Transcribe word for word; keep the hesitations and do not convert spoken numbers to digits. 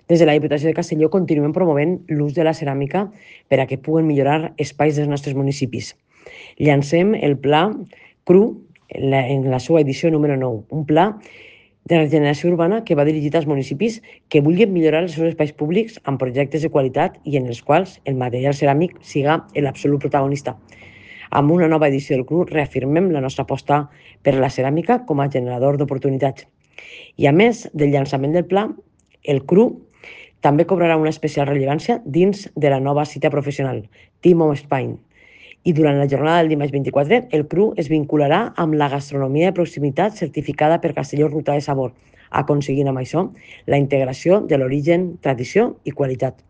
Des de la Diputació de Castelló continuem promovent l'ús de la ceràmica per a que puguen millorar espais dels nostres municipis. Llancem el Pla CRU en la, en la seva edició número nou, un pla de regeneració urbana que va dirigit als municipis que vulguin millorar els seus espais públics amb projectes de qualitat i en els quals el material ceràmic siga l'absolut protagonista. Amb una nova edició del CRU reafirmem la nostra aposta per la ceràmica com a generador d'oportunitats. I a més del llançament del pla, el CRU també cobrarà una especial rellevància dins de la nova cita professional, Team of Spain. I durant la jornada del dimarts vint-i-quatre, el CRU es vincularà amb la gastronomia de proximitat certificada per Castelló Ruta de Sabor, aconseguint amb això la integració de l'origen, tradició i qualitat.